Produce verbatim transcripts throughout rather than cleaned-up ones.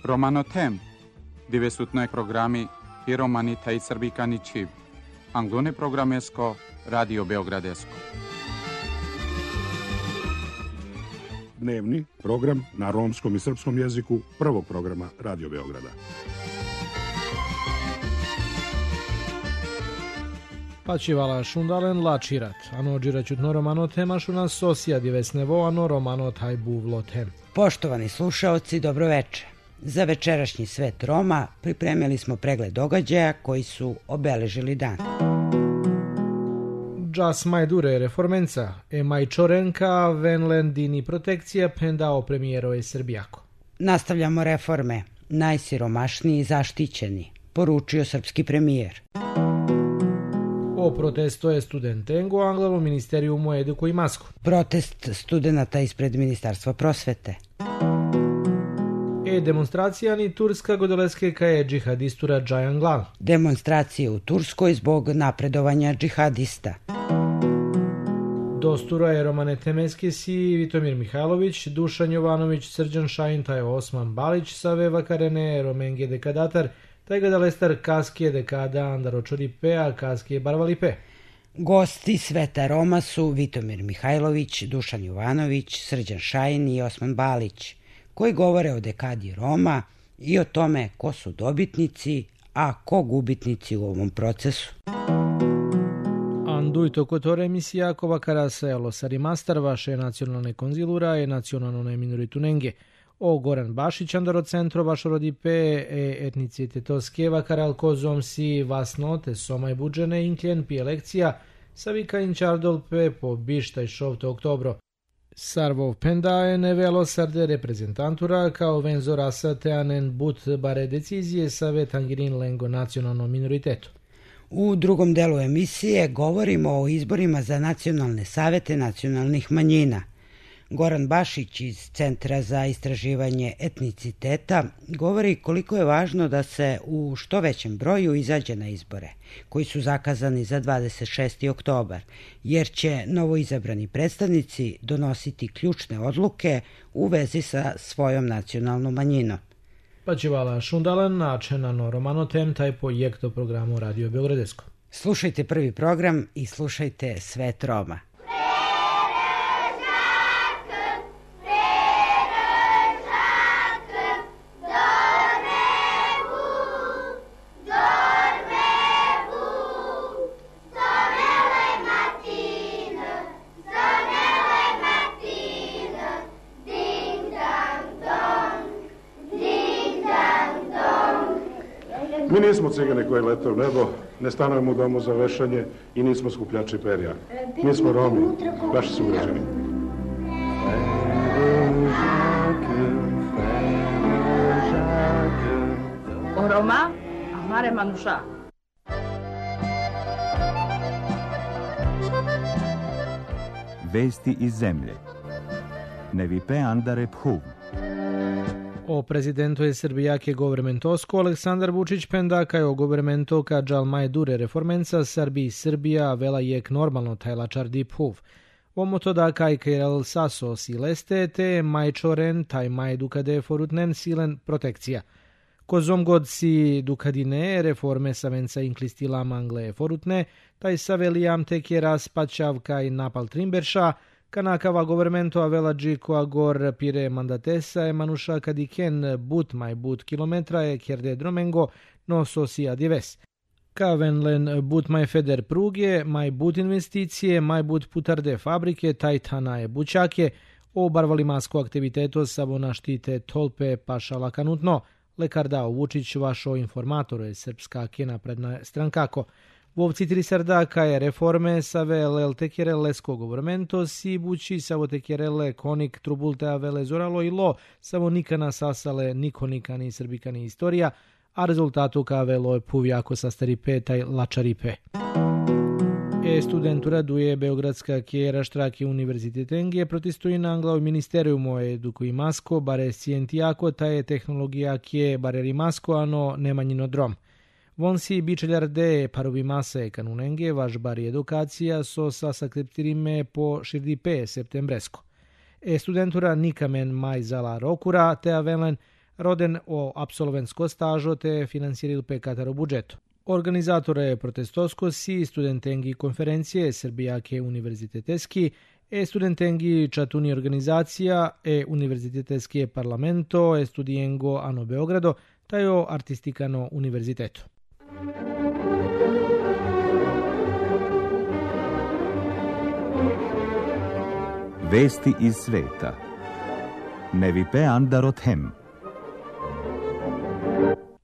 Romanotem, divesutnoj programi i romani taj srbikani čiv. Anglone programesko, Radio Beogradesko. Dnevni program na romskom i srpskom jeziku prvog programa Radio Beograda. Pačivala šundalen lačirat, ano džiraćutno romano tema šuna sosija divesnevo, ano romano taj buvlo tem. Poštovani slušaoci, dobroveče. Za večerašnji svet Roma pripremili smo pregled događaja koji su obeležili dan. Džas majdure reformenca, e majčorenka venlendini protekcija pendao premijerove Srbijako. Nastavljamo reforme, najsiromašniji zaštićeni, poručio srpski premijer. O protesto je studentengo Anglo ministerijumu eduku i masku. Protest studenata ispred Ministarstva prosvete. E demonstracija ni Turska godoleske kaje džihadistura Džajanglan. Demonstracije u Turskoj zbog napredovanja džihadista. Dostura je Romane Temeske si Vitomir Mihajlović, Dušan Jovanović, Srđan Šajin, taj Osman Balić, Save Vakarene, Romenge dekadatar, taj gadalestar Kaskije dekada Andaročoripea, Kaskije Barvalipe. Gosti Sveta Roma su Vitomir Mihajlović, Dušan Jovanović, Srđan Šajin i Osman Balić, koji govore o dekadi Roma i o tome ko su dobitnici, a ko gubitnici u ovom procesu. Anduito kotore emisija kova karaselo sarimastar vaše nacionalne konzilura i nacionalne minoritunenge. O Goran Bašić andaro centro vašo rodipe e etnicitetoskeva karal kozom si vasnote somaj budžene inkljen pi elekcija savika inčardolpe po bištaj šovto oktobro. Sarvov pendaje nevelo sarde reprezentantura kao venzo rasa teanen but bare decizije save tangirin lengo nacionalnom minoritetu. U drugom delu emisije govorimo o izborima za nacionalne savete nacionalnih manjina. Goran Bašić iz Centra za istraživanje etniciteta govori koliko je važno da se u što većem broju izađe na izbore, koji su zakazani za dvadeset šesti oktobar, jer će novoizabrani predstavnici donositi ključne odluke u vezi sa svojom nacionalnom manjinom. Pačivala šundalan načenano romano tem taj projekto programu Radio Beogradesko. Slušajte prvi program i slušajte Svet Roma. Mi nismo cigane koji lete u nebo, ne stanujemo u domu za vešanje i nismo skupljači perja. Mi smo Romi, vaši sugrađani. O Roma, amare manuša. Vesti iz zemlje. Nevipe andare phuv. O prezidentu je Srbijake governmentosko Aleksandar Vučić pendaka je o governmento ka džalmaj dure reformenca Srbiji Srbija vela jek normalno tajlačar dip huv. Omo to da kaj kajrel saso sileste te majčoren taj maj dukade forutnen silen protekcija. Kozom god si dukadine reforme savenca inklistila mangle forutne, taj savelijam tek je raspačav kaj napal trimberša, Kanakava governmento avela džiko agor pire mandatesa e manuša kadiken but maj but kilometra e kjerde dromengo no sosia dives. Kavenlen but maj feder pruge, maj but investicije, maj but putarde fabrike, tajtana e bučake, o barvalimasko aktiviteto savona štite tolpe pašala kanutno, lekar dao Vučić vašo informatoru je srpska kena predna strankako. Vovci tri sardaka je reforme save lel tekjere lesko governmento si bući savo tekjerele konik trubulte avele zoralo i lo savo nikana sasale niko nikani srbikani istorija, a rezultatu kavelo je puvjako sastaripe taj lačaripe. E studentura duje Beogradska kjera štraki univerziteten protestuji na Angla u ministerijumu eduku i masko, bare scijentijako ta je tehnologija kje bare rimasko, ano nemanjino drom. Von si bičeljarde parovi mase kanunenge, vaš bari edukacija so sa sakriptirime po širdipe septembresko. E studentura nikamen maj zala rokura, te avelen roden o apsolventsko stažo te finansiril pe Kataro budžeto. Organizatore protestosko si studentengi konferencije Srbijake univerziteteski e studentengi čatuni organizacija e univerziteteski parlamento e studijengo ano Beogrado tajo artistikano univerziteto. Vesti iz sveta. Ne vi pe andarot hem.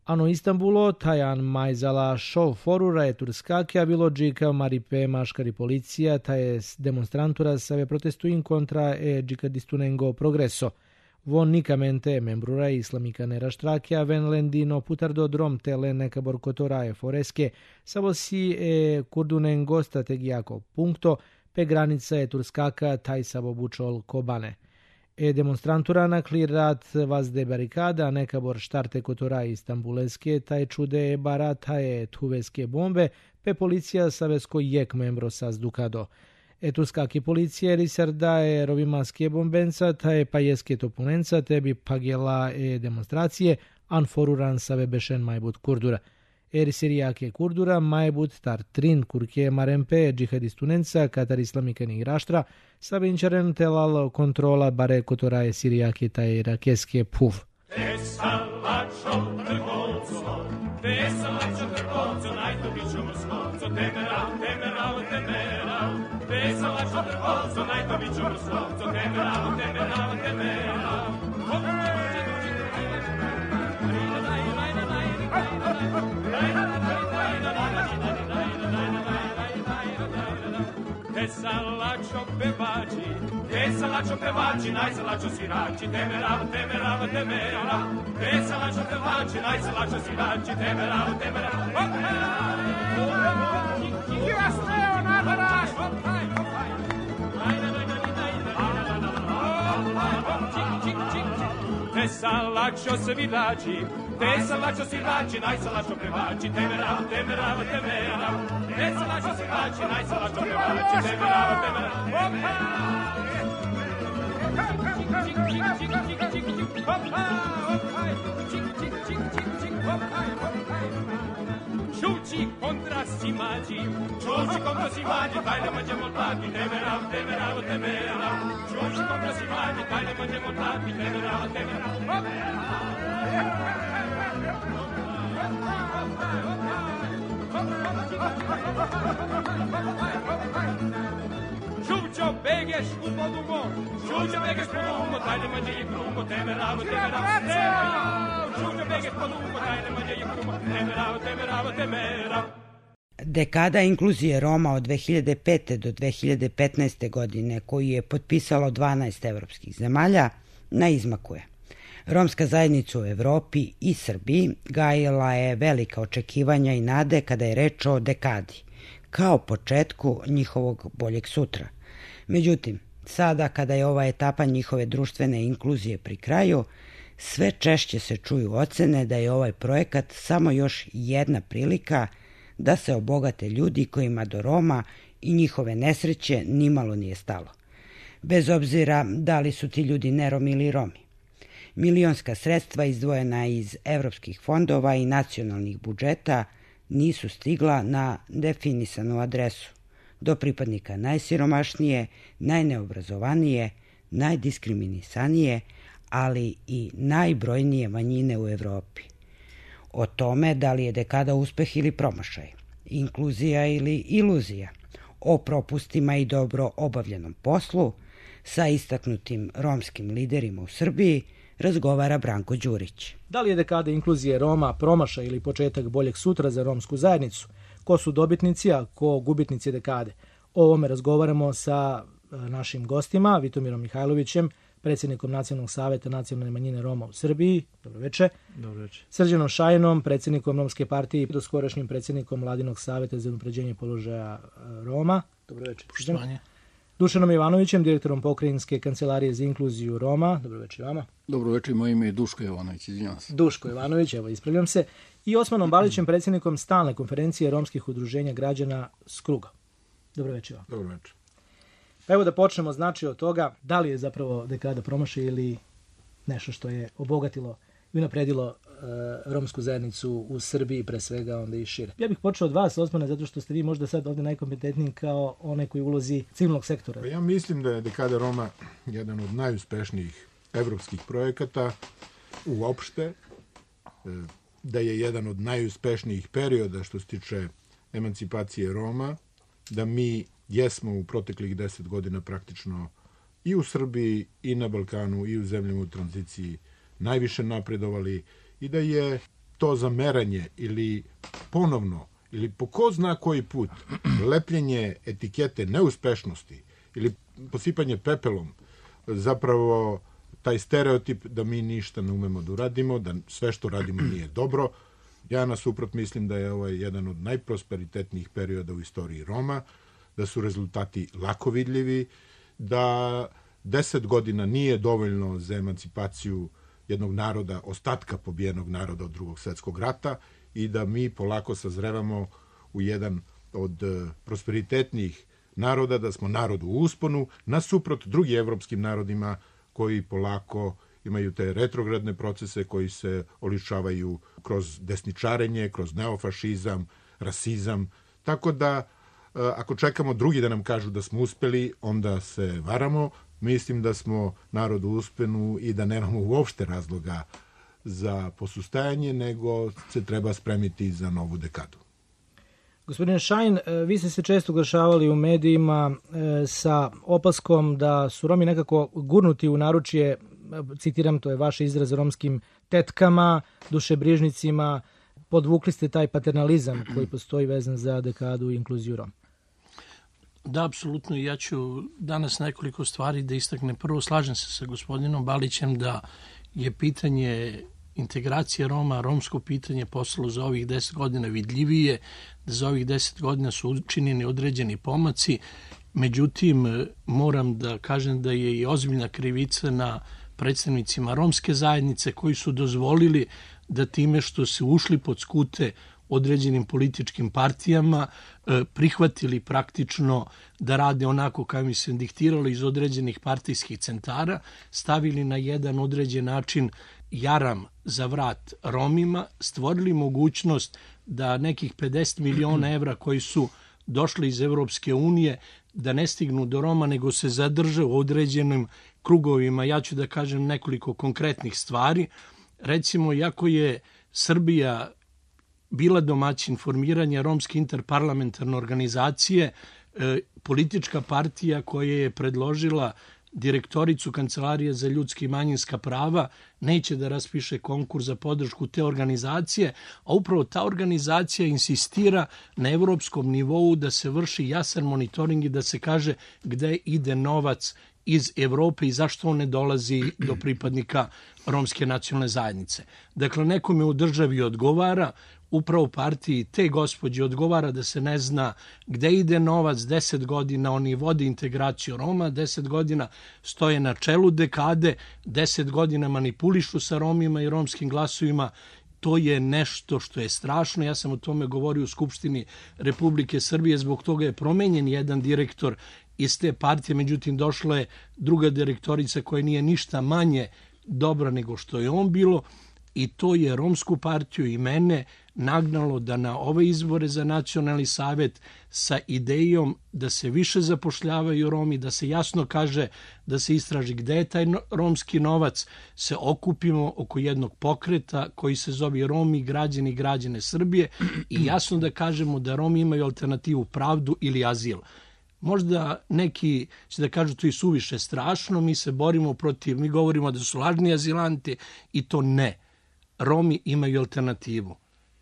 Ano Istanbulo, tajan majzala šov forura je turskake, a bilo džika maripe maškari policija, ta je demonstrantura save protestuin kontra e džikadistunengo progreso. Von nikamente membrura islamika neraštrakea ven lendino putardo drom tele neka borkotora e foreske, savo si e kurdunengo strategijako punkto, pe granica je turskaka taj savo bučol kobane. E demonstrantura naklirat vazde barikada, neka bor štarte kotora istanbuleske, taj čude bara taje tuveske bombe, pe policija savesko jek membro sa zdukado. E turskaki policija risarda e rovimaske bombenca, taje pajeske topunenca, tebi pagela e demonstracije, an foruran save bešen majbut kurdura. Er sirijake kurdura, majbut tar trin kurke marempe džihadistunenca, katar islamikani igraštra, sabinčaren telal kontrola bare kotoraje sirijake taj rakeske puv. Salačo pevači, te salačo pevači, najsalačo sirači, temerav, temerav, temerav. Te salačo pevači, najsalačo sirači, temerav, temerav. Kirasteo nadaraš, hopaj, hopaj. Te salačo svirači, te salačo svirači, najsalačo pevači, temerav, temerav, temerav. Te salačo svirači, najsalačo pevači, temerav, temerav. Čuči kontra simađi, čuči kontra simađi, taj ne možemo tlati, temerav, temerav, temerav. Čuči kontra simađi, taj ne možemo tlati, temerav, temerav. Čučo begeš u podugo, čučo begeš podugo, taj ne može i krugo, temerav, temerav. Čučo begeš podugo, taj ne može i krugo, temerav, temerav, temerav. Dekada inkluzije Roma od dve hiljade pete do dve hiljade petnaeste. godine, koju je potpisalo dvanaest evropskih zemalja, na izmaku je. Romska zajednica u Evropi i Srbiji gajila je velika očekivanja i nade kada je reč o dekadi, kao početku njihovog boljeg sutra. Međutim, sada kada je ova etapa njihove društvene inkluzije pri kraju, sve češće se čuju ocene da je ovaj projekat samo još jedna prilika da se obogate ljudi kojima do Roma i njihove nesreće nimalo nije stalo. Bez obzira da li su ti ljudi neromi ili Romi. Milionska sredstva izdvojena iz evropskih fondova i nacionalnih budžeta nisu stigla na definisanu adresu, do pripadnika najsiromašnije, najneobrazovanije, najdiskriminisanije, ali i najbrojnije manjine u Evropi. O tome da li je dekada uspeh ili promašaj, inkluzija ili iluzija, o propustima i dobro obavljenom poslu, sa istaknutim romskim liderima u Srbiji, razgovara Branko Đurić. Da li je dekada inkluzije Roma promašaj ili početak boljeg sutra za romsku zajednicu? Ko su dobitnici, a ko gubitnici dekade? O ovome razgovaramo sa našim gostima, Vitomirom Mihajlovićem, predsjednikom Nacionalnog saveta nacionalne manjine Roma u Srbiji. Dobroveče. Dobroveče. Srđanom Šajinom, predsjednikom Romske partije i doskorašnjim predsjednikom Mladinog saveta za unapređenje položaja Roma. Dobroveče. Poštovanje. Dušanom Ivanovićem, direktorom Pokrajinske kancelarije za inkluziju Roma. Dobroveče vama. Dobroveče, moje ime je Duško Jovanović, izvinjavam se. Duško Jovanović, evo ispravljam se. I Osmanom Balićem, predsjednikom stalne konferencije romskih udruženja građana Skruga. Dobroveče vam. Dobroveče. Pa evo da počnemo znači od toga da li je zapravo dekada promašaj ili nešto što je obogatilo bi unapredilo romsku zajednicu u Srbiji, pre svega onda i šire. Ja bih počeo od vas, Osmane, zato što ste vi možda sad ovdje najkompetentniji kao onaj koji ulozi civilnog sektora. Ja mislim da je Dekada Roma jedan od najuspešnijih evropskih projekata uopšte, da je jedan od najuspešnijih perioda što se tiče emancipacije Roma, da mi jesmo u proteklih deset godina praktično i u Srbiji, i na Balkanu, i u zemljama u tranziciji najviše napredovali i da je to zameranje ili ponovno, ili po ko zna koji put, lepljenje etikete neuspešnosti ili posipanje pepelom, zapravo taj stereotip da mi ništa ne umemo da uradimo, da sve što radimo nije dobro. Ja nasuprot mislim da je ovo jedan od najprosperitetnijih perioda u istoriji Roma, da su rezultati lako vidljivi, da deset godina nije dovoljno za emancipaciju jednog naroda, ostatka pobijenog naroda od drugog svjetskog rata i da mi polako sazrevamo u jedan od prosperitetnijih naroda, da smo narod u usponu, nasuprot drugim evropskim narodima koji polako imaju te retrogradne procese koji se oličavaju kroz desničarenje, kroz neofašizam, rasizam. Tako da, ako čekamo drugi da nam kažu da smo uspeli, onda se varamo. Mislim da smo narod u usponu i da nemamo uopšte razloga za posustajanje, nego se treba spremiti za novu dekadu. Gospodine Šajn, vi ste se često oglašavali u medijima sa opaskom da su Romi nekako gurnuti u naručje, citiram, to je vaš izraz, romskim tetkama, dušebrižnicima. Podvukli ste taj paternalizam koji postoji vezan za dekadu i inkluziju Roma. Da, apsolutno. Ja ću danas nekoliko stvari da istaknem. Prvo, slažem se sa gospodinom Balićem da je pitanje integracije Roma, romsko pitanje postalo za ovih deset godina vidljivije, da za ovih deset godina su učinjeni određeni pomaci. Međutim, moram da kažem da je i ozbiljna krivica na predstavnicima romske zajednice koji su dozvolili da time što su ušli pod skute određenim političkim partijama, prihvatili praktično da rade onako kao im se diktiralo iz određenih partijskih centara, stavili na jedan određen način jaram za vrat Romima, stvorili mogućnost da nekih pedeset miliona evra koji su došli iz Evropske unije da ne stignu do Roma, nego se zadrže u određenim krugovima. Ja ću da kažem nekoliko konkretnih stvari. Recimo, iako je Srbija bila domaćin formiranja Romske interparlamentarne organizacije, politička partija koja je predložila direktoricu Kancelarije za ljudska i manjinska prava neće da raspiše konkurs za podršku te organizacije, a upravo ta organizacija insistira na evropskom nivou da se vrši jasan monitoring i da se kaže gde ide novac iz Evrope i zašto on ne dolazi do pripadnika romske nacionalne zajednice. Dakle, nekome u državi odgovara, upravo partiji te gospođe odgovara da se ne zna gde ide novac. Deset godina oni vode integraciju Roma, deset godina stoje na čelu dekade, deset godina manipulišu sa Romima i romskim glasovima. To je nešto što je strašno. Ja sam o tome govorio u Skupštini Republike Srbije, zbog toga je promenjen jedan direktor iz te partije, međutim došla je druga direktorica koja nije ništa manje dobra nego što je on bilo i to je romsku partiju i mene nagnalo da na ove izbore za nacionalni savet sa idejom da se više zapošljavaju Romi, da se jasno kaže da se istraži gde je taj romski novac, se okupimo oko jednog pokreta koji se zove Romi, građani i građane Srbije i jasno da kažemo da Romi imaju alternativu pravdu ili azil. Možda neki će da kažu to je suviše strašno, mi se borimo protiv, mi govorimo da su lažni azilanti i to ne. Romi imaju alternativu.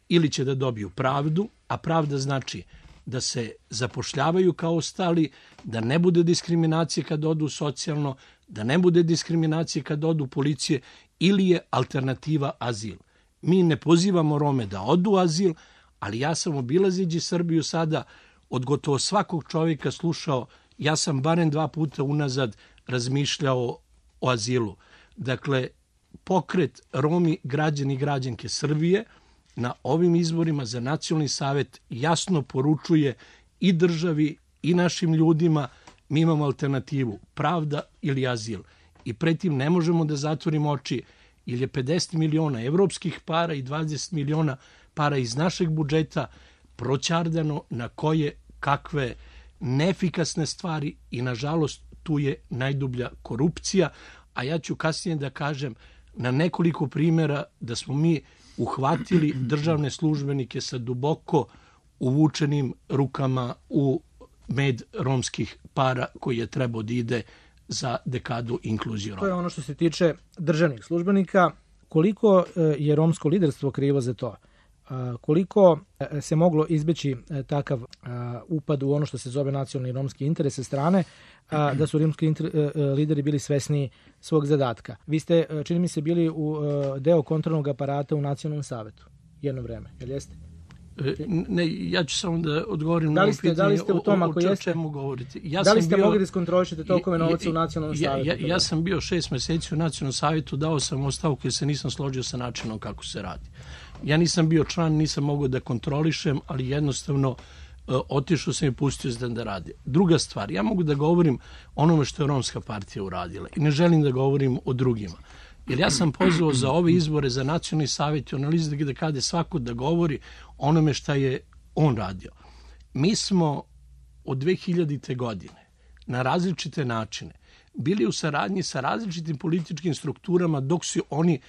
Ili će da dobiju pravdu, a pravda znači da se zapošljavaju kao ostali, da ne bude diskriminacije kad odu socijalno, da ne bude diskriminacije kad odu policije, ili je alternativa azil. Mi ne pozivamo Rome da odu azil, ali ja sam obilazeći Srbiju sada od gotovo svakog čovjeka slušao, ja sam barem dva puta unazad razmišljao o azilu. Dakle, pokret Romi, građani i građanke Srbije na ovim izborima za nacionalni savet jasno poručuje i državi i našim ljudima mi imamo alternativu, pravda ili azil. I pretim ne možemo da zatvorimo oči. jer je pedeset miliona evropskih para i dvadeset miliona para iz našeg budžeta proćardano na koje kakve neefikasne stvari i nažalost tu je najdublja korupcija, a ja ću kasnije da kažem na nekoliko primjera da smo mi uhvatili državne službenike sa duboko uvučenim rukama u med romskih para koji je trebao da ide za dekadu inkluzije Roma. To je ono što se tiče državnih službenika. Koliko je romsko liderstvo krivo za to? Koliko se moglo izbeći takav upad u ono što se zove nacionalni romski interes sa strane, da su romski lideri bili svesni svog zadatka? Vi ste, čini mi se, bili u deo kontrolnog aparata u Nacionalnom savetu jedno vreme, jel jeste? Ne, ja ću samo da odgovorim da na li ovo ste, pitanje da li ste u tom, ako o, o jeste, čemu govorite. Ja da li ste bio, mogli da iskontrolišete tokove novca u Nacionalnom ja, savetu? Ja, ja, ja sam bio šest meseci u Nacionalnom savetu, dao sam ostavku jer se nisam složio sa načinom kako se radi. Ja nisam bio član, nisam mogao da kontrolišem, ali jednostavno uh, otišao sam i pustio se da radi. Druga stvar, ja mogu da govorim onome što je Romska partija uradila i ne želim da govorim o drugima. Jer ja sam pozvao za ove izbore, za Nacionalni savet i analizu da kada svako da govori onome šta je on radio. Mi smo od dve hiljadite. godine na različite načine bili u saradnji sa različitim političkim strukturama dok su oni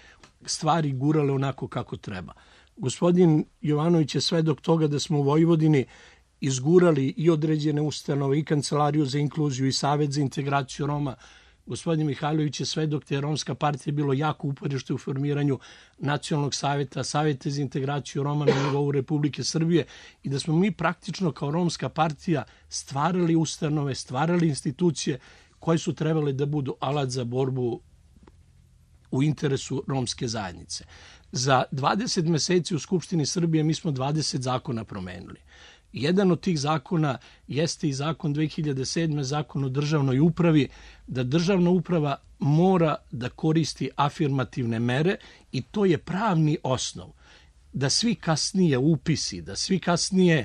stvari gurale onako kako treba. Gospodin Jovanović je svedok toga da smo u Vojvodini izgurali i određene ustanove, i Kancelariju za inkluziju, i Savet za integraciju Roma. Gospodin Mihajlović je svedok da je Romska partija bilo jako uporište u formiranju Nacionalnog saveta, Saveta za integraciju Roma na nivou Republike Srbije i da smo mi praktično kao Romska partija stvarali ustanove, stvarali institucije koje su trebale da budu alat za borbu u interesu romske zajednice. Za dvadeset meseci u Skupštini Srbije mi smo dvadeset zakona promenili. Jedan od tih zakona jeste i zakon dve hiljade sedme. zakon o državnoj upravi, da državna uprava mora da koristi afirmativne mere i to je pravni osnov. Da svi kasnije upisi, da svi kasnije,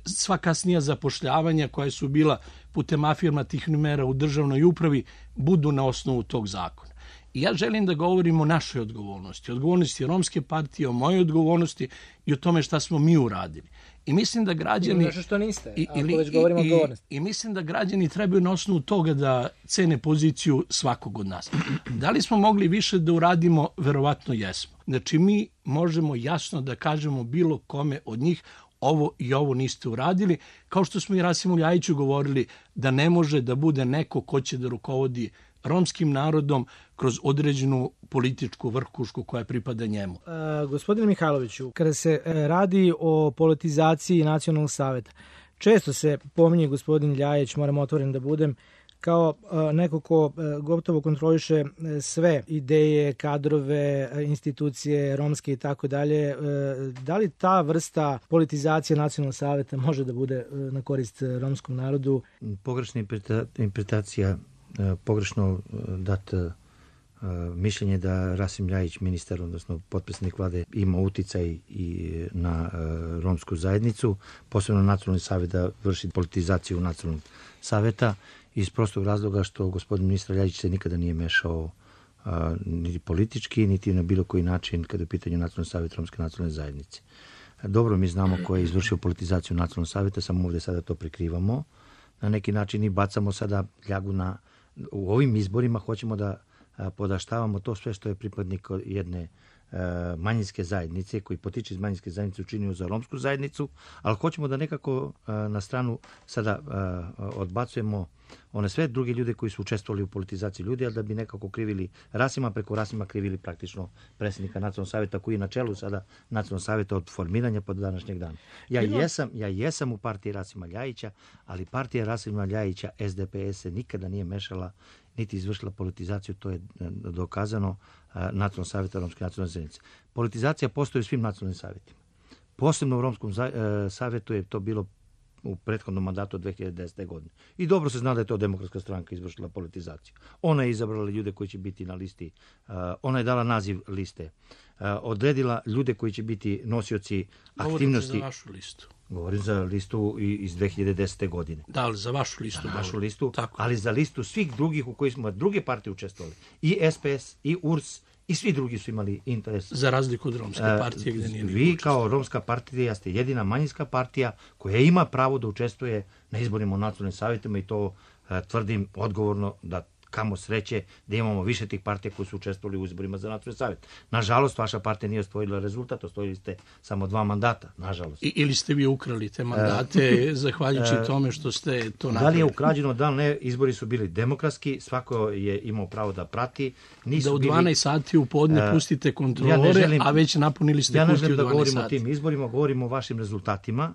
sva kasnija zapošljavanja koja su bila putem afirmativnih mera u državnoj upravi budu na osnovu tog zakona. I ja želim da govorim o našoj odgovornosti, odgovornosti Romske partije, o mojoj odgovornosti i o tome šta smo mi uradili. I mislim da građani... Nešto što niste, i, ako već govorimo o odgovornosti. I, I mislim da građani trebaju na osnovu toga da cene poziciju svakog od nas. Da li smo mogli više da uradimo? Verovatno jesmo. Znači mi možemo jasno da kažemo bilo kome od njih ovo i ovo niste uradili, kao što smo i Rasimu Ljajiću govorili da ne može da bude neko ko će da rukovodi romskim narodom kroz određenu političku vrhušku koja pripada njemu. E, gospodine Mihajloviću, kada se radi o politizaciji Nacionalnog saveta, često se pominje gospodin Ljajić, moram otvoren da budem, kao neko ko gotovo kontroliše sve ideje, kadrove, institucije, romske i tako dalje. Da li ta vrsta politizacije Nacionalnog saveta može da bude na korist romskom narodu? Pogrešna interpretacija, pogrešno dat mišljenje da Rasim Ljajić, ministar, odnosno potpredsjednik vlade, ima uticaj i na romsku zajednicu, posebno Nacionalni savet da vrši politizaciju Nacionalnog saveta, iz prostog razloga što gospodin ministar Ljajić se nikada nije mešao a, niti politički, niti na bilo koji način kada je u pitanju Nacionalni savjet romske nacionalne zajednice. Dobro mi znamo ko je izvršio politizaciju Nacionalnog savjeta, samo ovdje sada to prikrivamo. Na neki način i bacamo sada ljagu na... U ovim izborima hoćemo da a, podaštavamo to sve što je pripadnik jedne manjinske zajednice, koji potiče iz manjinske zajednice učinio za romsku zajednicu, ali hoćemo da nekako na stranu sada odbacujemo one sve druge ljude koji su učestvovali u politizaciji ljudi, ali da bi nekako krivili Rasima, preko Rasima krivili praktično predsjednika Nacionalnog savjeta koji je na čelu sada Nacionalnog savjeta od formiranja pa do današnjeg dana. Ja jesam, ja jesam u partiji Rasima Ljajića, ali partija Rasima Ljajića, S D P S, se nikada nije mešala niti izvršila politizaciju, to je dokazano Nacionalnog savjeta romske nacionalne zajednice. Politizacija postoji u svim nacionalnim savjetima. Posebno u Romskom savjetu je to bilo u prethodnom mandatu od dve hiljade desete. godine. I dobro se zna da je to Demokratska stranka izvršila politizaciju. Ona je izabrala ljude koji će biti na listi, ona je dala naziv liste, odredila ljude koji će biti nosioci aktivnosti. Govorite za vašu listu. Govorim za listu iz dve hiljade desete. godine. Da, ali za vašu listu. Za našu listu, tako. Ali za listu svih drugih u kojoj smo druge partije učestvovali. I S P S, i U R S, i svi drugi su imali interes. Za razliku od Romske partije gdje nije Vi kao Romska partija ste jedina manjinska partija koja ima pravo da učestvuje na izborima u nacionalnim savjetima i to tvrdim odgovorno da kamo sreće da imamo više tih partija koji su učestvovali u izborima za nacionalni savjet. Nažalost, vaša partija nije osvojila rezultat, osvojili ste samo dva mandata, nažalost. I, ili ste vi ukrali te mandate e, zahvaljujući e, tome što ste to napravili? Da li je ukrađeno, da li ne, izbori su bili demokratski, svako je imao pravo da prati. Nisu da u dvanaest sati u podne pustite kontrolore, ja želim, a već napunili ste ja kutiju u dvanaest sati. Ja ne želim da govorimo sati. o tim izborima, govorimo o vašim rezultatima.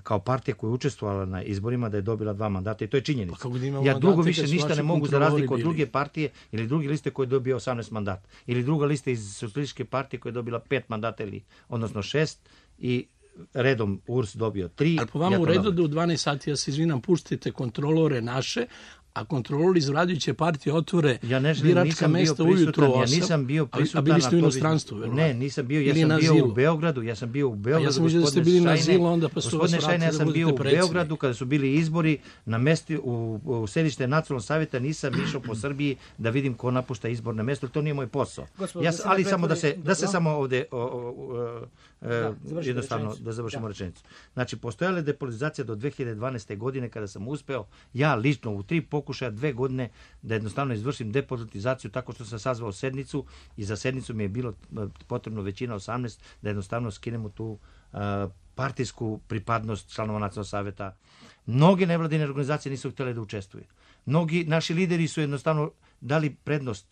Kao partija koja je učestvovala na izborima da je dobila dva mandata i to je činjenica. Pa ja drugo više ništa ne mogu za razliku od druge partije ili druge liste koje je dobio osamnaest mandata. Ili druga lista iz Socijalističke partije koja je dobila pet mandata ili odnosno šest i redom U R S dobio tri. Ali po vama ja u redu da u dvanaest sati, ja se izvinam, pustite kontrolore naše, a kontrolori iz vladajuće partije otvore ja ne želim, biračka mesta ujutro osam. Ja nisam bio prisutan. A bili ste u inostranstvu, verovatno? Ne, nisam bio, ja sam bio u Beogradu, ja sam bio u Beogradu. A ja sam mislio da ste bili na Zilu, onda pa su vas vratili ja sam bio u Beogradu kada su bili izbori na mesti u, u sedište Nacionalnog savjeta, nisam išao po Srbiji da vidim ko napušta izborne mesto, to nije moj posao. Gospodin, ja, ali samo da se da se samo ovde o, o, o, da, jednostavno rečenicu. da završimo da. rečenicu. Znači postojala je depolitizacija do dve hiljade dvanaeste. godine kada sam uspeo ja lično u tri pokušaja dve godine da jednostavno izvršim depolitizaciju tako što sam sazvao sednicu i za sednicu mi je bilo potrebno većina osamnaest da jednostavno skinemo tu uh, partijsku pripadnost članova Nacionalnog savjeta. Mnoge nevladine organizacije nisu htjele da učestvuju. Mnogi naši lideri su jednostavno dali prednost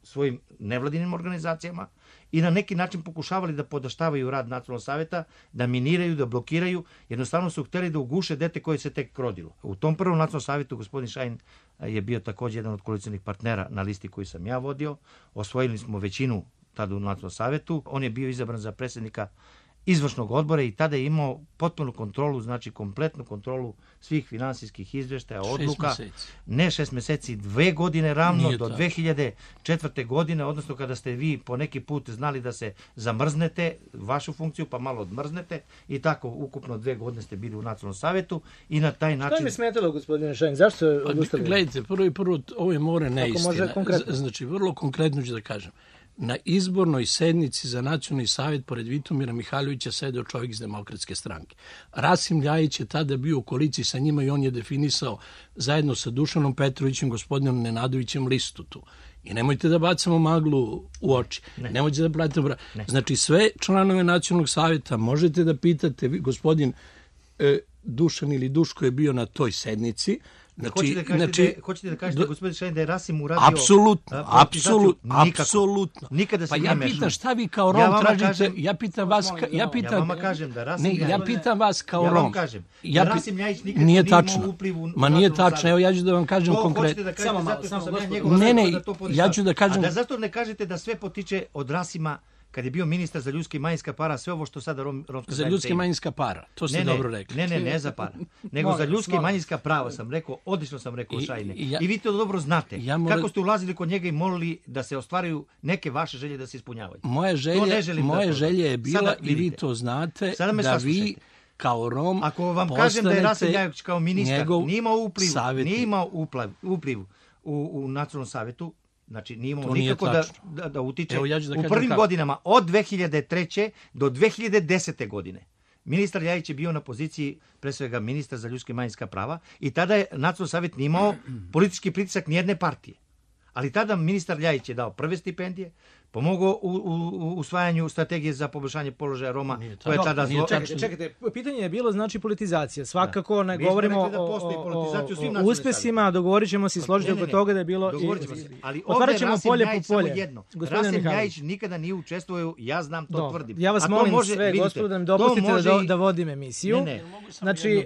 svojim nevladinim organizacijama i na neki način pokušavali da podaštavaju rad Nacionalnog savjeta, da miniraju, da blokiraju, jednostavno su htjeli da uguše dete koje se tek rodilo. U tom prvom Nacionalnom savjetu gospodin Šajn je bio također jedan od koalicionih partnera na listi koju sam ja vodio. Osvojili smo većinu tada u Nacionalnom savjetu. On je bio izabran za predsjednika izvršnog odbora i tada je imao potpunu kontrolu, znači kompletnu kontrolu svih finansijskih izvještaja, odluka. Šest mjeseci. Ne šest mjeseci, dve godine ravno Nije do tako. dve hiljade četvrte. godine, odnosno kada ste vi po neki put znali da se zamrznete vašu funkciju, pa malo odmrznete i tako ukupno dve godine ste bili u Nacionalnom savjetu i na taj način... Što mi smetalo, gospodine Šajn? Zašto se odustali? Gledajte, prvo i prvo, ovo je more neistina. Znači, vrlo konkretno ću da kažem. Na izbornoj sednici za Nacionalni savjet pored Vitomira Mihajlovića sedeo čovjek iz Demokratske stranke. Rasim Ljajić je tada bio u koaliciji sa njima i on je definisao zajedno sa Dušanom Petrovićem, gospodinom Nenadovićem listu tu. I nemojte da bacamo maglu u oči. Ne. Nemojte da pratite... Ne. Znači, sve članove Nacionalnog savjeta možete da pitate. Gospodin e, Dušan ili Duško je bio na toj sednici. Znači, hoćete da kažete, znači, da, hoćete da kažete gospodin Šajn da je Rasim uradio... Apsolutno, apsolutno, apsolutno. Nikada se pa ja pitam šta vi kao Rom ja tražite, kažem, ja pitam vas, ka, ja pitam... Ja vama kažem da Rasim... Ne, ja pitam vas kao ja Rom. Ja vam kažem ja, da Rasim Ljajić nikad nije imao upliv u... Ma nije tačno, evo ja ću da vam kažem konkretno. Da samo malo, samo malo. Ne, ne, ja ću da kažem... A da zato ne kažete da sve potiče od Rasima kad je bio ministar za ljudska i manjinska para, sve ovo što sada rom, romska za ljudska i manjinska para, to ste ne, dobro rekli. Ne, ne, ne za para, nego za ljudska i manjinska prava sam rekao, odlično sam rekao Šajne. I, ja, I vi to dobro znate. Ja mora... Kako ste ulazili kod njega i molili da se ostvaruju neke vaše želje da se ispunjavaju. Moja želja, moje da želje je bila, sada, i vi to znate, da vi kao Rom ako vam kažem da je Rasim Ljajić kao ministar nije imao upliv, savjetnik. nije imao upliv, upliv u, u Nacionalnom savjetu, znači nije imao nikako da, da, da utiče Evo, ja da u prvim kako. godinama od dve hiljade treće. do dve hiljade desete. godine. Ministar Ljajić je bio na poziciji pre svega ministra za ljudska i manjinska prava i tada je Nacionalni savjet nije imao politički pritisak nijedne partije. Ali tada ministar Ljajić je dao prve stipendije, pomogao u, u, u usvajanju strategije za poboljšanje položaja Roma. Koje je tada zlo... čekajte, čekajte, pitanje je bilo znači politizacija. Svakako ne Mi govorimo da o, o, o, o uspesima, dogovorit ćemo se i složiti oko toga da je bilo... I, ali ovdje Rasim polje Ljajić po polje. Samo jedno. Rasim Ljajić nikada nije učestvovao, ja znam, to Do. tvrdim. Ja vas molim može, sve, gospodo, da mi dopustite da, da vodim emisiju. Ne, ne. Znači,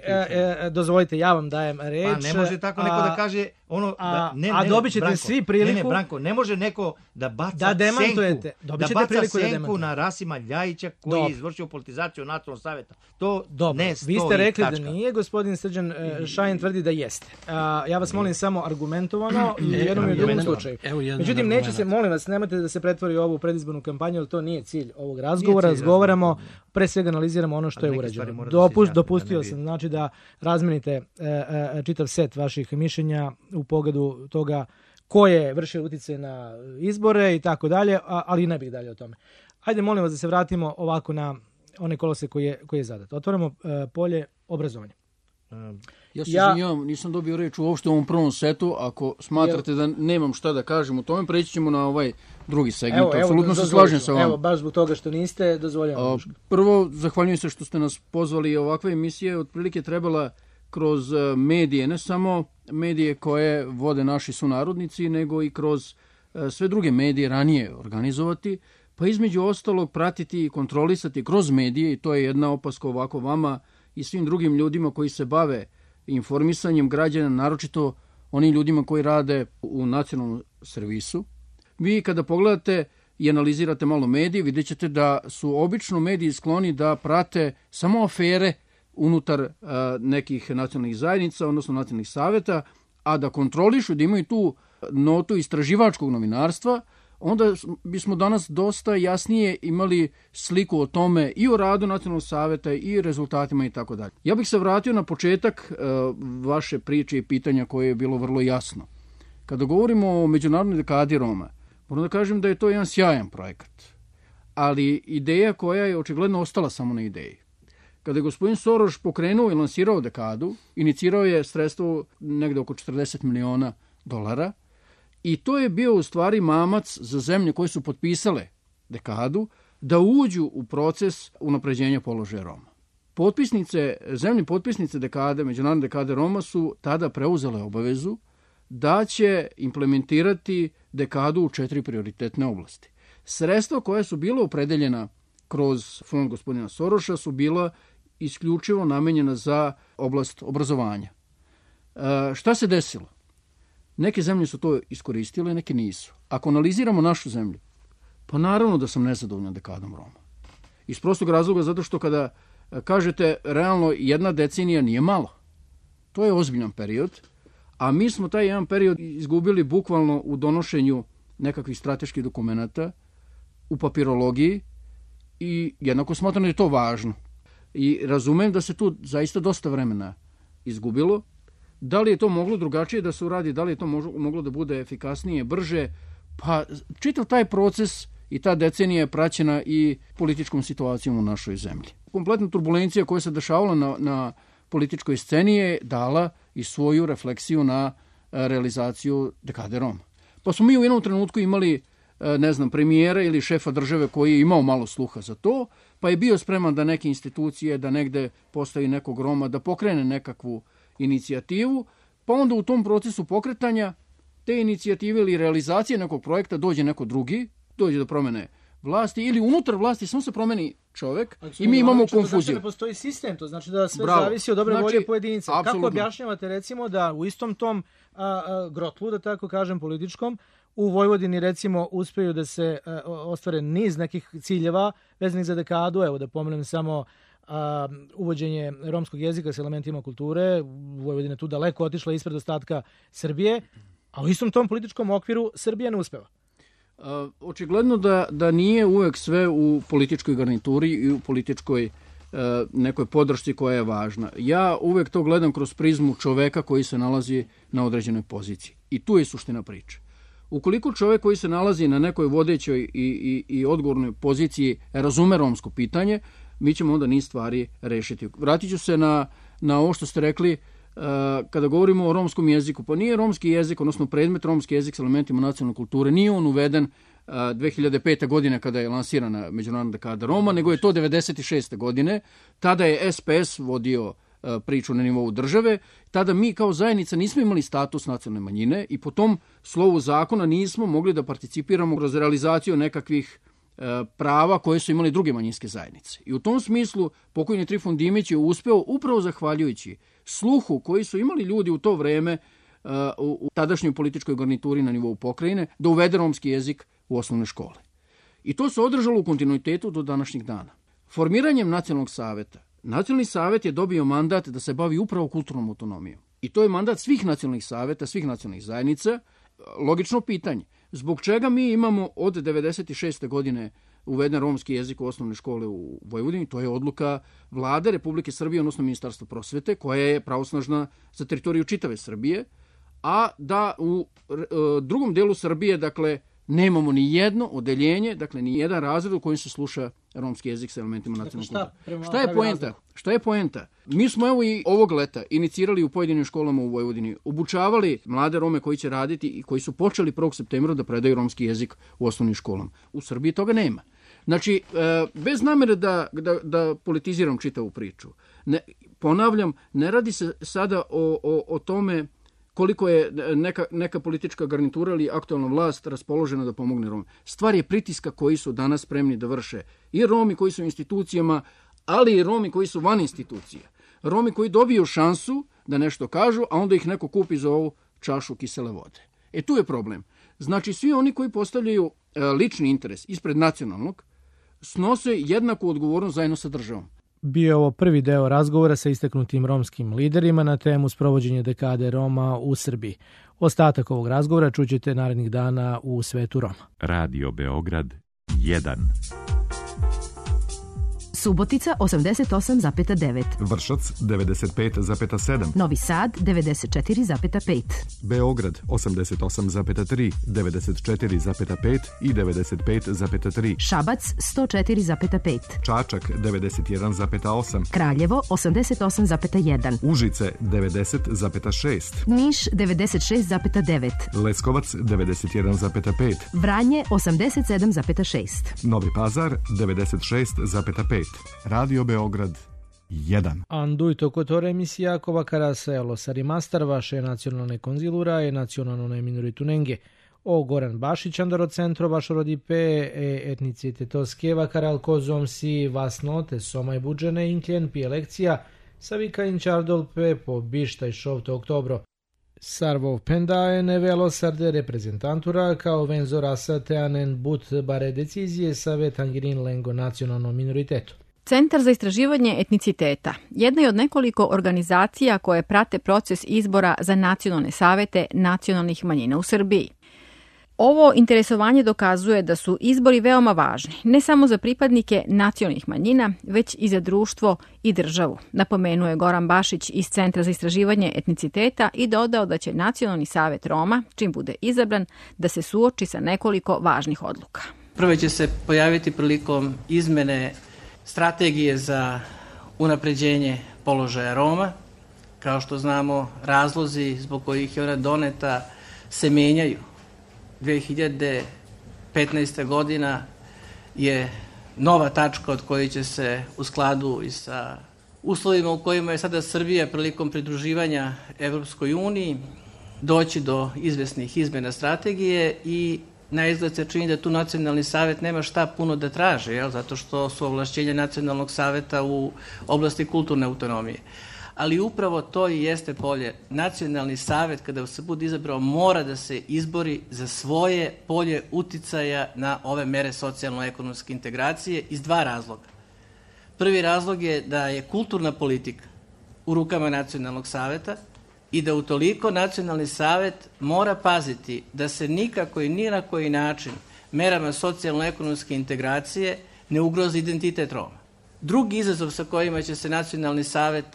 dozvolite, ja vam dajem reč. Pa ne može tako neko da kaže... Ono, a, ne, ne, a dobit ćete Branko, svi priliku... Ne, ne, Branko, ne može neko da baca da demantujete. senku, da baca senku na Rasima Ljajića koji Dobre. je izvršio politizaciju Nacionalnog savjeta. To Dobre. ne stoji. Vi ste rekli tačka. da nije, gospodin Srđan Šajn tvrdi da jeste. A, ja vas molim samo argumentovano i u jednom i u drugom slučaju. Međutim, neće se, molim vas, nemojte da se pretvori ovu predizbornu kampanju, jer to nije cilj ovog razgovora. Cilj, Razgovaramo, pre svega analiziramo ono što je urađeno. Dopust, dopustio sam, znači da razmenite e, e, čitav set vaših mišljenja u pogledu toga ko je vršio utjecaj na izbore i tako dalje, ali ne bih dalje o tome. Hajde, molim vas da se vratimo ovako na one kolose koji je, koji je zadat. Otvorimo uh, polje obrazovanja. Ja se ja, izvinjavam, nisam dobio reč uopšte u ovom prvom setu. Ako smatrate da nemam šta da kažem o tome, preći ćemo na ovaj drugi segment. Evo, Apsolutno evo, se slažem sa vama. Evo, baš zbog toga što niste, dozvoljavam. Prvo, zahvaljujem se što ste nas pozvali. Ovakva emisija otprilike trebala kroz medije, ne samo medije koje vode naši sunarodnici, nego i kroz sve druge medije ranije organizovati, pa između ostalog pratiti i kontrolisati kroz medije, i to je jedna opaska ovako vama i svim drugim ljudima koji se bave informisanjem građana, naročito onim ljudima koji rade u nacionalnom servisu. Vi kada pogledate i analizirate malo medije, vidjet ćete da su obično mediji skloni da prate samo afere unutar uh, nekih nacionalnih zajednica, odnosno nacionalnih saveta, a da kontrolišu, da imaju tu notu istraživačkog novinarstva, onda bismo danas dosta jasnije imali sliku o tome i o radu nacionalnog saveta i rezultatima i tako dalje. Ja bih se vratio na početak uh, vaše priče i pitanja koje je bilo vrlo jasno. Kada govorimo o međunarodnoj dekadi Roma, moram da kažem da je to jedan sjajan projekat, ali ideja koja je očigledno ostala samo na ideji. Kada je gospodin Soros pokrenuo i lansirao dekadu, inicirao je sredstvo negde oko četrdeset miliona dolara, i to je bio u stvari mamac za zemlje koje su potpisale dekadu da uđu u proces unapređenja položaja Roma. Potpisnice, zemlje potpisnice dekade, međunarodne dekade Roma su tada preuzele obavezu da će implementirati dekadu u četiri prioritetne oblasti. Sredstva koja su bila opredeljena kroz fond gospodina Soroša su bila isključivo namenjena za oblast obrazovanja. E, šta se desilo? Neke zemlje su to iskoristile, neke nisu. Ako analiziramo našu zemlju, pa naravno da sam nezadovoljan dekadom Roma. Iz prostog razloga zato što kada kažete realno jedna decenija nije malo. To je ozbiljan period, a mi smo taj jedan period izgubili bukvalno u donošenju nekakvih strateških dokumenata, u papirologiji, i jednako smatram da je to važno. I razumem da se tu zaista dosta vremena izgubilo. Da li je to moglo drugačije da se uradi, da li je to moglo da bude efikasnije, brže, pa čitav taj proces i ta decenija je praćena i političkom situacijom u našoj zemlji. Kompletna turbulencija koja se dešavala na, na političkoj sceni je dala i svoju refleksiju na realizaciju dekade Roma. Pa smo mi u jednom trenutku imali, ne znam, premijera ili šefa države koji je imao malo sluha za to, pa je bio spreman da neke institucije, da negde postavi nekog Roma, da pokrene nekakvu inicijativu, pa onda u tom procesu pokretanja te inicijative ili realizacije nekog projekta dođe neko drugi, dođe do promene vlasti ili unutar vlasti samo se promeni čovek i mi imamo konfuziju. To znači da ne postoji sistem, to znači da sve Bravo. zavisi od dobre znači, volje pojedinca. Apsolutno. Kako objašnjavate recimo da u istom tom a, a, grotlu, da tako kažem, političkom, u Vojvodini recimo uspeju da se a, ostvare niz nekih ciljeva vezanih za dekadu, evo da pomenem samo a, uvođenje romskog jezika s elementima kulture, Vojvodina tu daleko otišla ispred ostatka Srbije, a u istom tom političkom okviru Srbija ne uspeva. Uh, očigledno da, da nije uvek sve u političkoj garnituri i u političkoj uh, nekoj podršci koja je važna. Ja uvek to gledam kroz prizmu čoveka koji se nalazi na određenoj poziciji. I tu je suština priče. Ukoliko čovek koji se nalazi na nekoj vodećoj i, i, i odgovornoj poziciji razume romsko pitanje, mi ćemo onda niz stvari rešiti. Vratit ću se na, na ovo što ste rekli, Uh, kada govorimo o romskom jeziku, pa nije romski jezik, odnosno predmet romski jezik s elementima nacionalne kulture, nije on uveden uh, dve hiljade pete. godine kada je lansirana međunarodna dekada Roma, nego je to devedeset šeste. godine. Tada je S P S vodio uh, priču na nivou države. Tada mi kao zajednica nismo imali status nacionalne manjine i po tom slovu zakona nismo mogli da participiramo kroz realizaciju nekakvih prava koje su imali druge manjinske zajednice. I u tom smislu pokojni Trifun Dimić je uspeo upravo zahvaljujući sluhu koji su imali ljudi u to vreme uh, u tadašnjoj političkoj garnituri na nivou pokrajine da uvede romski jezik u osnovne škole. I to se održalo u kontinuitetu do današnjih dana. Formiranjem nacionalnog saveta, nacionalni savet je dobio mandat da se bavi upravo kulturnom autonomijom. I to je mandat svih nacionalnih saveta, svih nacionalnih zajednica. Logično pitanje. Zbog čega mi imamo od devedeset šeste. godine uveden romski jezik u osnovne škole u Vojvodini? To je odluka Vlade Republike Srbije, odnosno Ministarstva prosvete, koja je pravosnažna za teritoriju čitave Srbije, a da u drugom delu Srbije, dakle, nemamo ni jedno odeljenje, dakle, ni jedan razred u kojem se sluša romski jezik sa elementima nacionalnog kultura. Šta je poenta? Šta je poenta? Mi smo evo i ovog leta inicirali u pojedinim školama u Vojvodini, obučavali mlade Rome koji će raditi i koji su počeli prvog septembra da predaju romski jezik u osnovnim školama. U Srbiji toga nema. Znači, bez namere da, da, da politiziram čitavu priču, ne, ponavljam, ne radi se sada o, o, o tome koliko je neka, neka politička garnitura ili aktualna vlast raspoložena da pomogne Roma. Stvar je pritiska koji su danas spremni da vrše i Romi koji su u institucijama, ali i Romi koji su van institucije. Romi koji dobiju šansu da nešto kažu, a onda ih neko kupi za ovu čašu kisele vode. E tu je problem. Znači, svi oni koji postavljaju e, lični interes ispred nacionalnog, snose jednaku odgovornost zajedno sa državom. Bio je ovo prvi deo razgovora sa istaknutim romskim liderima na temu sprovođenja dekade Roma u Srbiji. Ostatak ovog razgovora čućete narednih dana u Svetu Roma. Radio Beograd jedan. Subotica osamdeset osam zarez devet. Vršac devedeset pet zarez sedam. Novi Sad devedeset četiri zarez pet. Beograd osamdeset osam zarez tri, devedeset četiri zarez pet i devedeset pet zarez tri. Šabac sto četiri zarez pet. Čačak devedeset jedan zarez osam. Kraljevo osamdeset osam zarez jedan. Užice devedeset zarez šest. Niš devedeset šest zarez devet. Leskovac devedeset jedan zarez pet. Vranje osamdeset sedam zarez šest. Novi Pazar devedeset šest zarez pet. Radio Beograd jedan. Anduito kotore emisija kova karaselo sarimastar vaše nacionalne konzilura e nacionalne minoritunenge. O Goran Bašić andaro centro vašo rodipe e etnicitete skeva karal kozom si vasnote somaj budžene inkljen pi elekcija savika inčardolpe po bištaj šovte oktobro. Sarvov pendae nevelo sarde reprezentantura kao venzo rasa teanen but bare decizie save tangirin lengo nacionalnom minoritetu. Centar za istraživanje etniciteta jedna je od nekoliko organizacija koje prate proces izbora za nacionalne savete nacionalnih manjina u Srbiji. Ovo interesovanje dokazuje da su izbori veoma važni, ne samo za pripadnike nacionalnih manjina, već i za društvo i državu, napomenuo je Goran Bašić iz Centra za istraživanje etniciteta i dodao da će Nacionalni savet Roma, čim bude izabran, da se suoči sa nekoliko važnih odluka. Prvo će se pojaviti prilikom izmene strategije za unapređenje položaja Roma. Kao što znamo, razlozi zbog kojih je ona doneta se menjaju. dve hiljade petnaesta. godina je nova tačka od koje će se u skladu i sa uslovima u kojima je sada Srbija prilikom pridruživanja Evropskoj uniji doći do izvesnih izmena strategije i na izgled se čini da tu Nacionalni savet nema šta puno da traže, jel? Zato što su ovlašćenja Nacionalnog saveta u oblasti kulturne autonomije. Ali upravo to i jeste polje. Nacionalni savet, kada se bude izabrao, mora da se izbori za svoje polje uticaja na ove mere socijalno-ekonomske integracije iz dva razloga. Prvi razlog je da je kulturna politika u rukama Nacionalnog saveta i da utoliko Nacionalni savet mora paziti da se nikako i ni na koji način merama socijalno-ekonomske integracije ne ugrozi identitet Roma. Drugi izazov sa kojima će se Nacionalni savet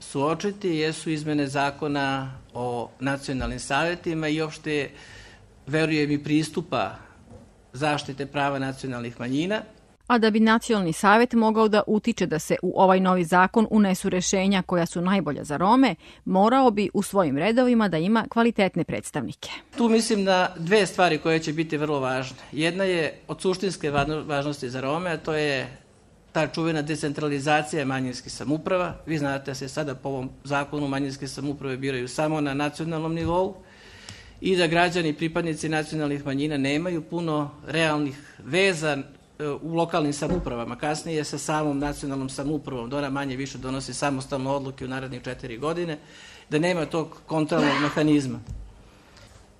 suočiti jesu izmene zakona o nacionalnim savetima i opšte, verujem, i pristupa zaštite prava nacionalnih manjina. A da bi Nacionalni savet mogao da utiče da se u ovaj novi zakon unesu rešenja koja su najbolja za Rome, morao bi u svojim redovima da ima kvalitetne predstavnike. Tu mislim na dve stvari koje će biti vrlo važne. Jedna je od suštinske važnosti za Rome, a to je ta čuvena decentralizacija manjinskih samouprava. Vi znate da se sada po ovom zakonu manjinske samouprave biraju samo na nacionalnom nivou i da građani, pripadnici nacionalnih manjina nemaju puno realnih veza u lokalnim samoupravama. Kasnije sa samom nacionalnom samoupravom, da ona manje više donosi samostalne odluke u narednih četiri godine, da nema tog kontrolnog mehanizma.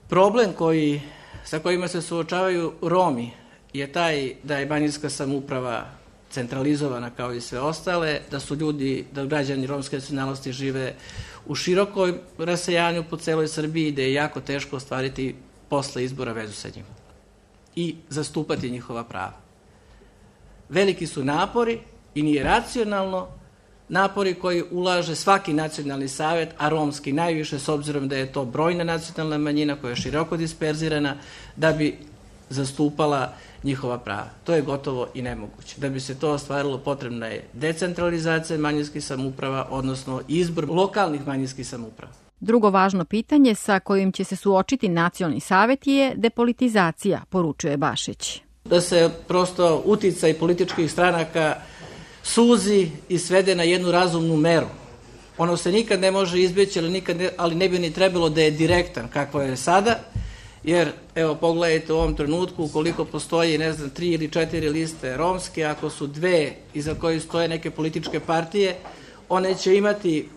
Problem koji, sa kojima se suočavaju Romi je taj da je manjinska samouprava centralizovana kao i sve ostale, da su ljudi, da građani romske nacionalnosti žive u širokoj rasejanju po celoj Srbiji, da je jako teško ostvariti posle izbora vezu sa njima i zastupati njihova prava. Veliki su napori i nije racionalno napori koji ulaže svaki nacionalni savet, a romski najviše, s obzirom da je to brojna nacionalna manjina koja je široko disperzirana, da bi zastupala njihova prava. To je gotovo i nemoguće. Da bi se to ostvarilo, potrebna je decentralizacija manjinskih samouprava, odnosno izbor lokalnih manjinskih samouprava. Drugo važno pitanje sa kojim će se suočiti nacionalni savet je depolitizacija, poručuje Bašić. Da se prosto uticaj političkih stranaka suzi i svede na jednu razumnu meru. Ono se nikad ne može izbjeći, ali, nikad ne, ali ne bi ni trebalo da je direktan kakvo je sada, jer evo pogledajte u ovom trenutku ukoliko postoji, ne znam, tri ili četiri liste romske, ako su dve iza koje stoje neke političke partije, one će imati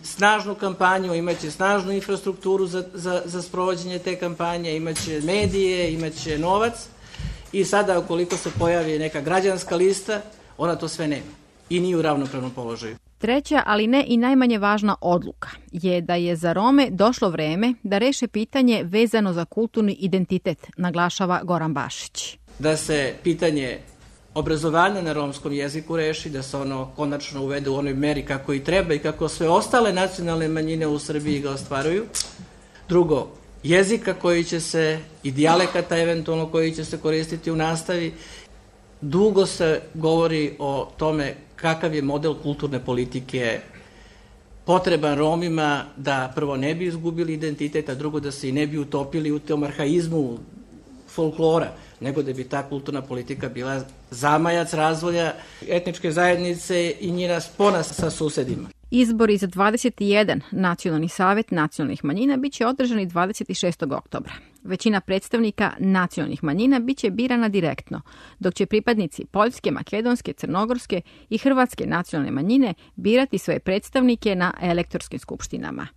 snažnu kampanju, imaće snažnu infrastrukturu za, za, za sprovođenje te kampanje, imaće medije, imaće novac i sada ukoliko se pojavi neka građanska lista, ona to sve nema i nije u ravnopravnom položaju. Treća, ali ne i najmanje važna odluka je da je za Rome došlo vreme da reše pitanje vezano za kulturni identitet, naglašava Goran Bašić. Da se pitanje obrazovanja na romskom jeziku reši, da se ono konačno uvede u onoj meri kako i treba i kako sve ostale nacionalne manjine u Srbiji ga ostvaruju. Drugo, jezika koji će se i dijalekata eventualno koji će se koristiti u nastavi. Dugo se govori o tome kakav je model kulturne politike potreban Romima da prvo ne bi izgubili identitet, a drugo da se i ne bi utopili u tom arhaizmu folklora, nego da bi ta kulturna politika bila zamajac razvoja etničke zajednice i njena spona sa susedima. Izbori za dvadeset jedan nacionalni savet nacionalnih manjina biće održani dvadeset šestog oktobra. Većina predstavnika nacionalnih manjina biće birana direktno, dok će pripadnici poljske, makedonske, crnogorske i hrvatske nacionalne manjine birati svoje predstavnike na elektorskim skupštinama.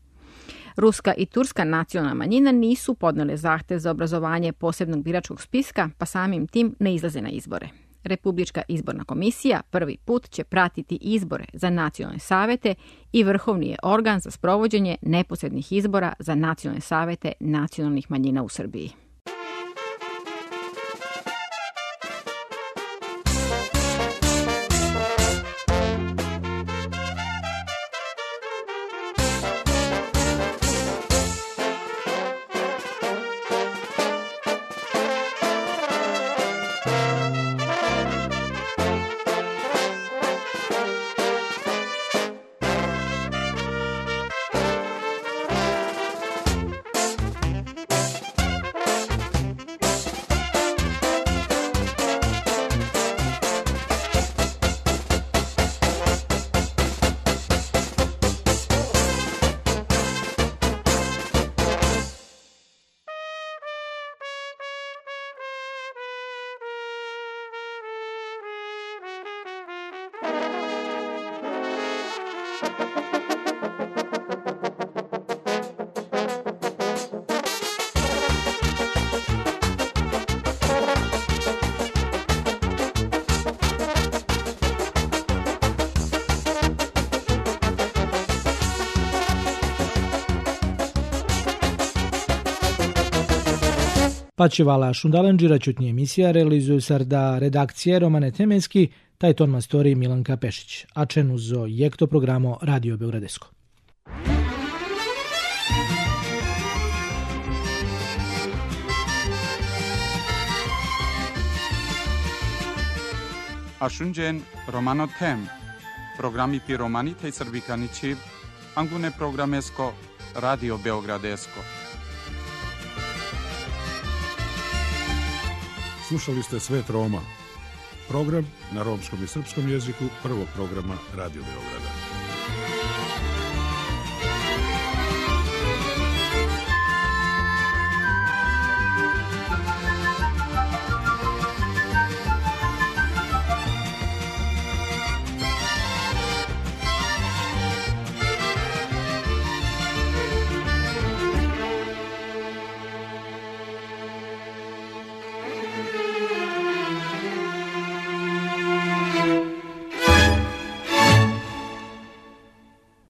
Ruska i turska nacionalna manjina nisu podnele zahtev za obrazovanje posebnog biračkog spiska, pa samim tim ne izlaze na izbore. Republička izborna komisija prvi put će pratiti izbore za nacionalne savete i vrhovni je organ za sprovođenje neposrednih izbora za nacionalne savete nacionalnih manjina u Srbiji. Pačivala Šundalenđira čutnje emisija realizuju sarda redakcije Romane Temenski, taj ton mastori Milanka Pešić, a čenu zo jekto programo Radio Beogradesko. Ašunđen Romano Tem, programi pi Romanita i Srbikanići, angune programesko Radio Beogradesko. Slušali ste Svet Roma, program na romskom i srpskom jeziku prvog programa Radio Beograda.